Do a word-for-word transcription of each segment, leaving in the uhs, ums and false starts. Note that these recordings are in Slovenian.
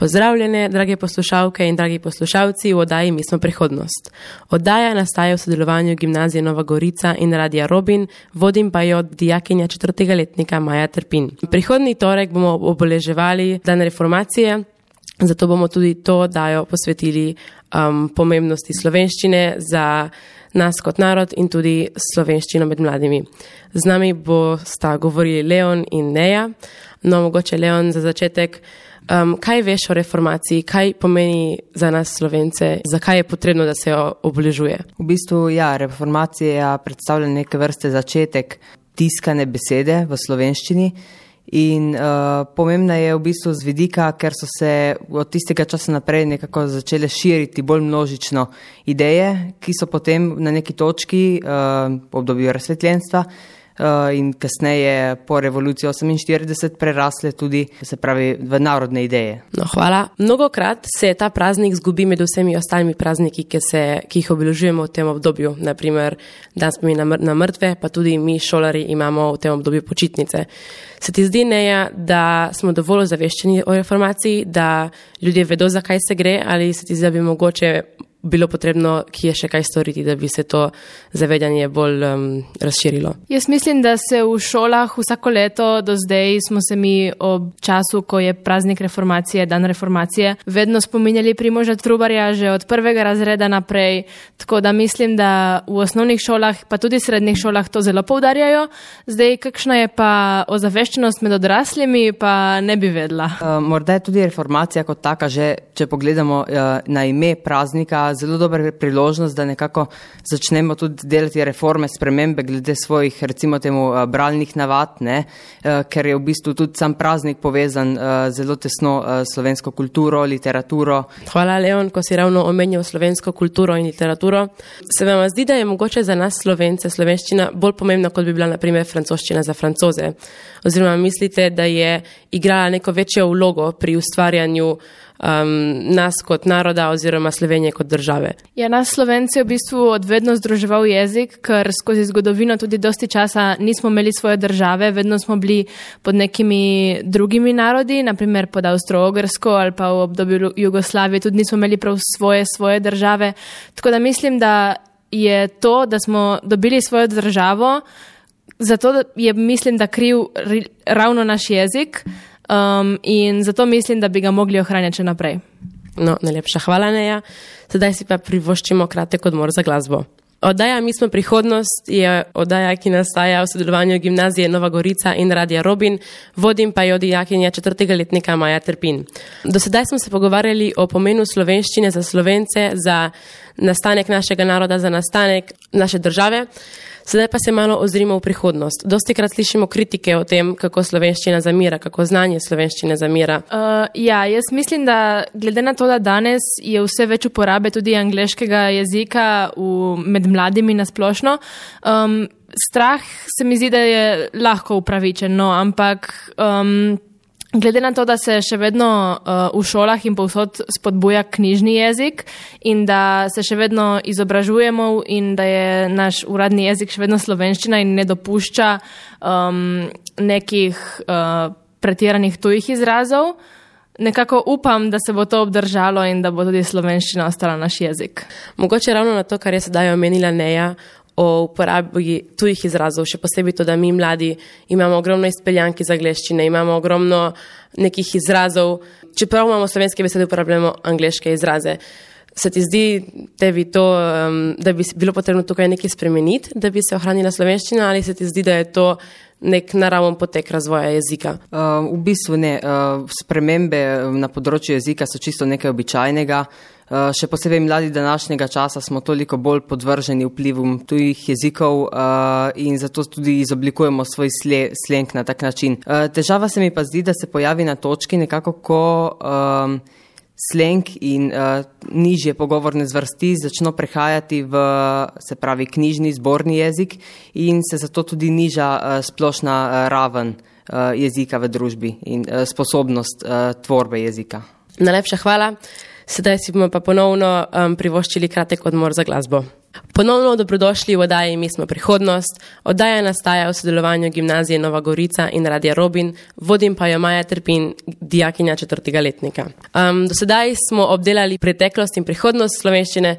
Pozdravljene, drage poslušalke in dragi poslušalci v oddaji Mi smo prihodnost. Oddaja nastaja v sodelovanju Gimnazije Nova Gorica in Radia Robin, vodim pa jo dijakinja četrtega letnika Maja Trpin. Prihodnji torek bomo obeleževali dan reformacije, zato bomo tudi to oddajo posvetili um, pomembnosti slovenščine za nas kot narod in tudi slovenščino med mladimi. Z nami bo sta govorili Leon in Neja. No, mogoče Leon za začetek. Um, kaj veš o reformaciji, kaj pomeni za nas Slovence, zakaj je potrebno, da se jo obeležuje? V bistvu, ja, reformacija predstavlja neke vrste začetek tiskane besede v slovenščini in uh, pomembna je v bistvu z vidika, ker so se od tistega časa naprej nekako začele širiti bolj množično ideje, ki so potem na neki točki uh, v obdobju razsvetljenstva in kasneje po revoluciji oseminštirideset prerasle tudi, se pravi, v narodne ideje. No, hvala. Mnogokrat se ta praznik zgubi med vsemi ostalimi prazniki, ki, se, ki jih obeležujemo v tem obdobju. Naprimer, dan spomina na mrtve, pa tudi mi šolari imamo v tem obdobju počitnice. Se ti zdi, Neja, da smo dovolj ozaveščeni o reformaciji, da ljudje vedo, zakaj se gre, ali se ti zdi, da bi mogoče bilo potrebno, ki je še kaj storiti, da bi se to zavedanje bolj um, razširilo? Jaz mislim, da se v šolah vsako leto do zdaj smo se mi ob času, ko je praznik reformacije, dan reformacije, vedno spominjali Primoža Trubarja že od prvega razreda naprej, tako da mislim, da v osnovnih šolah, pa tudi srednjih šolah to zelo poudarjajo. Zdaj, kakšna je pa ozaveščenost med odraslimi, pa ne bi vedela. Uh, morda je tudi reformacija kot taka, že če pogledamo uh, na ime praznika, zelo dobra priložnost, da nekako začnemo tudi delati reforme, spremembe glede svojih, recimo temu, bralnih navad, ne? Ker je v bistvu tudi sam praznik povezan zelo tesno slovensko kulturo, literaturo. Hvala, Leon, ko si ravno omenjal slovensko kulturo in literaturo. Se vam zdi, da je mogoče za nas Slovence slovenščina bolj pomembna, kot bi bila na primer francoščina za Francoze? Oziroma mislite, da je igrala neko večjo vlogo pri ustvarjanju Um, nas kot naroda oziroma Slovenije kot države? Ja, nas Slovence je v bistvu odvedno združeval jezik, ker skozi zgodovino tudi dosti časa nismo imeli svoje države, vedno smo bili pod nekimi drugimi narodi, naprimer pod Avstro-Ogrsko ali pa v obdobju Jugoslavije tudi nismo imeli prav svoje, svoje države. Tako da mislim, da je to, da smo dobili svojo državo, zato je, mislim, da kriv ravno naš jezik. Um, in zato mislim, da bi ga mogli ohranjati še naprej. No, najlepša hvala, Neja. Sedaj si pa privoščimo kratek odmor za glasbo. Oddaja Mi smo prihodnost je oddaja, ki nastaja v sodelovanju Gimnazije Nova Gorica in Radia Robin, vodim pa jo dijakinja četrtega letnika Maja Trpin. Do sedaj smo se pogovarjali o pomenu slovenščine za Slovence, za nastanek našega naroda, za nastanek naše države. Sedaj pa se malo ozrimo v prihodnost. Dostikrat slišimo kritike o tem, kako slovenščina zamira, kako znanje slovenščine zamira. Uh, ja, jaz mislim, da glede na to, da danes je vse več uporabe tudi angleškega jezika v, med mladimi nasplošno, um, strah se mi zdi, da je lahko upravičen, no, ampak um, glede na to, da se še vedno uh, v šolah in povsod spodbuja knjižni jezik in da se še vedno izobražujemo in da je naš uradni jezik še vedno slovenščina in ne dopušča um, nekih uh, pretiranih tujih izrazov, nekako upam, da se bo to obdržalo in da bo tudi slovenščina ostala naš jezik. Mogoče ravno na to, kar je sedaj omenila Neja, o uporabi tujih izrazov, še posebej to, da mi mladi imamo ogromno izpeljank iz angleščine, imamo ogromno nekih izrazov, čeprav imamo slovenske besede, uporabljamo angleške izraze. Se ti zdi, tebi to, um, da bi bilo potrebno tukaj nekaj spremeniti, da bi se ohranila slovenščina, ali se ti zdi, da je to nek naraven potek razvoja jezika? Uh, v bistvu ne. Uh, spremembe na področju jezika so čisto nekaj običajnega. Uh, še posebej mladi današnjega časa smo toliko bolj podvrženi vplivom tujih jezikov uh, in zato tudi izoblikujemo svoj sle, slenk na tak način. Uh, težava se mi pa zdi, da se pojavi na točki nekako, ko um, slenk in uh, nižje pogovorne zvrsti začno prehajati v, se pravi, knjižni zborni jezik in se zato tudi niža uh, splošna uh, raven uh, jezika v družbi in uh, sposobnost uh, tvorbe jezika. Najlepša hvala. Sedaj si bomo pa ponovno um, privoščili kratek odmor za glasbo. Ponovno dobrodošli v oddaji Mi smo prihodnost. Oddaja nastaja v sodelovanju Gimnazije Nova Gorica in Radia Robin, vodim pa jo Maja Trpin, dijakinja četrtega letnika. Um, do sedaj smo obdelali preteklost in prihodnost slovenščine,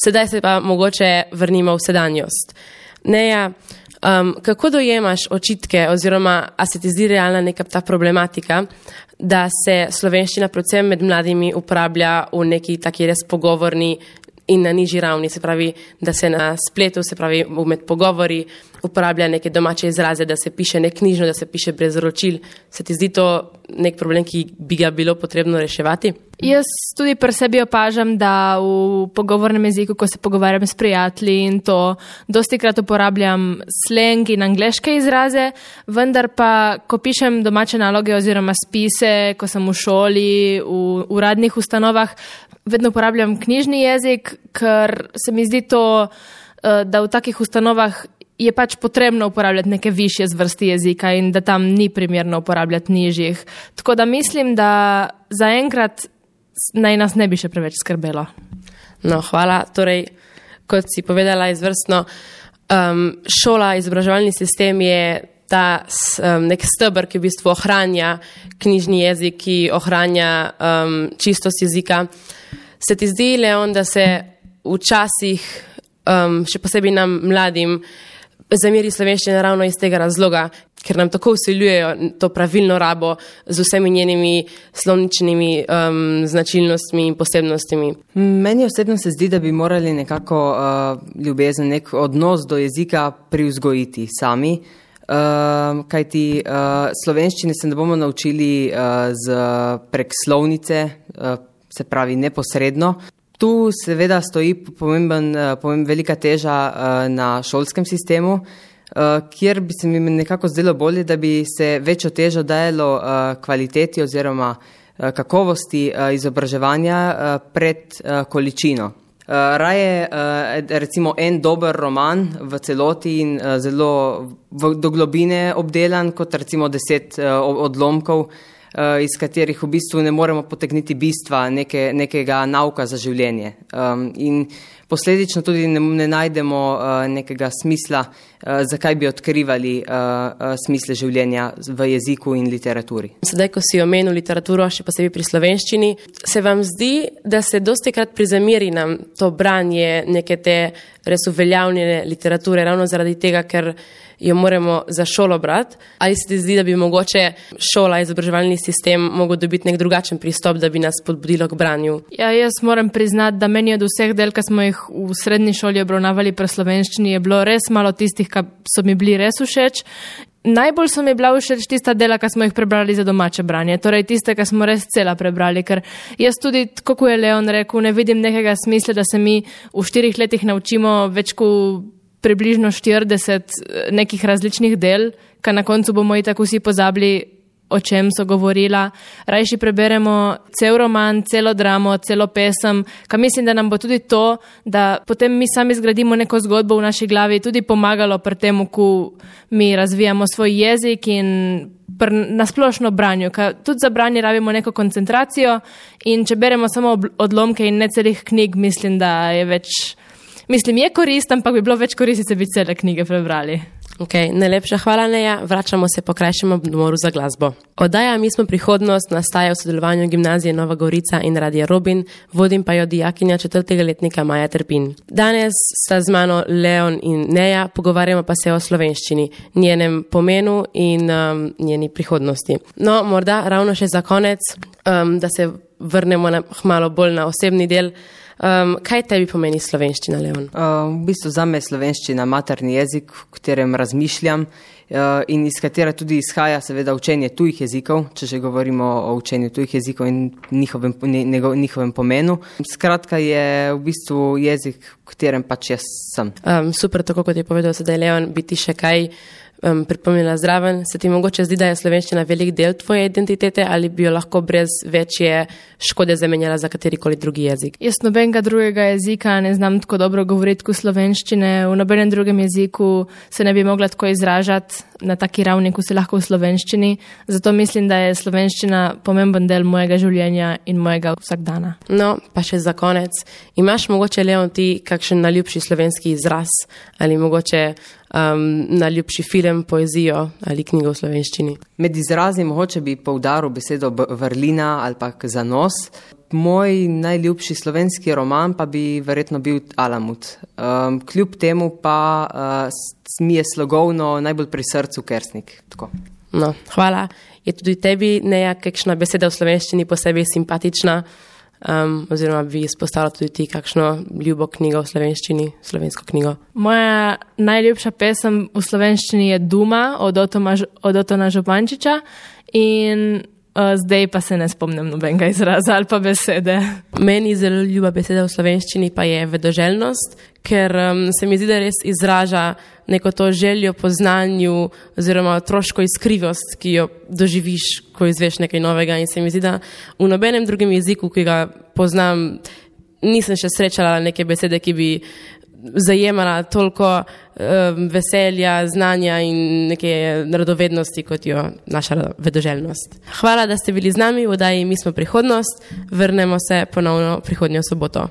sedaj se pa mogoče vrnimo v sedanjost. Neja, um, kako dojemaš očitke oziroma a se ti zdi realna neka ta problematika, da se slovenščina predvsem med mladimi uporablja v neki taki res pogovorni in na nižji ravni, se pravi, da se na spletu, se pravi, med pogovori uporablja neke domače izraze, da se piše neknjižno, da se piše brez ročil. Se ti zdi to nek problem, ki bi ga bilo potrebno reševati? Jaz tudi pri sebi opažam, da v pogovornem jeziku, ko se pogovarjam s prijatelji in to, dostikrat uporabljam slang in angleške izraze, vendar pa, ko pišem domače naloge oziroma spise, ko sem v šoli, v uradnih ustanovah, vedno uporabljam knjižni jezik, ker se mi zdi to, da v takih ustanovah je pač potrebno uporabljati neke višje zvrsti jezika in da tam ni primerno uporabljati nižjih. Tako da mislim, da zaenkrat naj nas ne bi še preveč skrbelo. No, hvala. Torej, kot si povedala izvrstno, um, šola, izobraževalni sistem je ta um, nek stebr, ki v bistvu ohranja knjižni jezik, ki ohranja um, čistost jezika. Se ti zdi, Leon, da se včasih, um, še posebej nam mladim, zameri slovenščina ravno iz tega razloga, ker nam tako vsiljujejo to pravilno rabo z vsemi njenimi slovničnimi um, značilnostmi in posebnostmi? Meni osebno se zdi, da bi morali nekako uh, ljubezen, nek odnos do jezika privzgojiti sami, uh, kajti uh, slovenščine se ne bomo naučili uh, z prek slovnice, uh, se pravi neposredno. Tu seveda stoji pomemben, pomemben velika teža na šolskem sistemu, kjer bi se mi nekako zdelo bolje, da bi se večjo težo dajalo kvaliteti oziroma kakovosti izobraževanja pred količino. Raje recimo en dober roman v celoti in zelo do globine obdelan, kot recimo deset odlomkov, iz katerih v bistvu ne moremo potegniti bistva neke, nekega nauka za življenje. Um, in posledično tudi ne, ne najdemo uh, nekega smisla, uh, zakaj bi odkrivali uh, uh, smisle življenja v jeziku in literaturi. Sedaj, ko si omenil literaturo, še posebej pri slovenščini, se vam zdi, da se dostikrat prizameri nam to branje neke te res uveljavljene literature, ravno zaradi tega, ker jo moramo za šolo brati? Ali se ti zdi, da bi mogoče šola, izobraževalni sistem mogel dobiti nek drugačen pristop, da bi nas spodbudilo k branju? Ja, jaz moram priznati, da meni od vseh del, ki smo jih v srednji šoli obravnavali pri slovenščini, je bilo res malo tistih, ki so mi bili res všeč. Najbolj so mi bila všeč tista dela, ki smo jih prebrali za domače branje, torej tiste, ki smo res cela prebrali, ker jaz tudi, kako je Leon rekel, ne vidim nekega smisla, da se mi v štirih letih naučimo več kot približno štirideset nekih različnih del, ka na koncu bomo i tako vsi pozabili, o čem so govorila. Rajši preberemo cel roman, celo dramo, celo pesem, ka mislim, da nam bo tudi to, da potem mi sami zgradimo neko zgodbo v naši glavi, tudi pomagalo pri tem, ko mi razvijamo svoj jezik in nasplošno branju, ka tudi za branje rabimo neko koncentracijo in če beremo samo odlomke in ne celih knjig, mislim, da je več Mislim, je korist, ampak bi bilo več koristi, če bi cele knjige prebrali. Ok, najlepša hvala, Neja. Vračamo se po krajšem odmoru za glasbo. Oddaja Mi smo prihodnost nastaja v sodelovanju Gimnazije Nova Gorica in Radia Robin, vodim pa jo dijakinja četrtega letnika Maja Trpin. Danes sta z mano Leon in Neja, pogovarjamo pa se o slovenščini, njenem pomenu in um, njeni prihodnosti. No, morda ravno še za konec, um, da se vrnemo na, malo bolj na osebni del. Um, kaj tebi pomeni slovenščina, Leon? Uh, v bistvu zame je slovenščina materni jezik, v katerem razmišljam uh, in iz katera tudi izhaja seveda učenje tujih jezikov, če že govorimo o učenju tujih jezikov in njihovem, njegov, njihovem pomenu. Skratka je v bistvu jezik, v katerem pač jaz sem. Um, super, tako kot je povedal sedaj Leon, bi ti še kaj um, pripomnila zraven. Se ti mogoče zdi, da je slovenščina velik del tvoje identitete ali bi jo lahko brez večje škode zamenjala za katerikoli drugi jezik? Jaz nobenega drugega jezika ne znam tako dobro govoriti kot slovenščine, v nobenem drugem jeziku se ne bi mogla tako izražati na taki ravni, kot se lahko v slovenščini. Zato mislim, da je slovenščina pomemben del mojega življenja in mojega vsakdana. No, pa še za konec. Imaš mogoče, Leon, ti kakšen naljubši slovenski izraz ali mogoče um, naljubši film, poezijo ali knjigo v slovenščini? Med izrazi mogoče bi poudaril besedo vrlina ali pa zanos. Moj najljubši slovenski roman pa bi verjetno bil Alamut. Um, kljub temu pa uh, mi je slogovno najbolj pri srcu Kersnik. Tako. No, hvala. Je tudi tebi nejakakšna beseda v slovenščini posebej simpatična? Um, oziroma bi izpostavila tudi ti kakšno ljubo knjigo v slovenščini, slovensko knjigo? Moja najljubša pesem v slovenščini je Duma od, Otoma, od Otona Župančiča in uh, zdaj pa se ne spomnim nobenega izraza ali pa besede. Meni zelo ljuba beseda v slovenščini pa je vedoželjnost, ker um, se mi zdi, da res izraža neko to željo po znanju oziroma otroško iskrivost, ki jo doživiš, ko izveš nekaj novega, in se mi zdi, da v nobenem drugem jeziku, ki ga poznam, nisem še srečala neke besede, ki bi zajemala toliko um, veselja, znanja in neke radovednosti, kot jo naša vedoželjnost. Hvala, da ste bili z nami v oddaji Mi smo prihodnost. Vrnemo se ponovno prihodnjo soboto.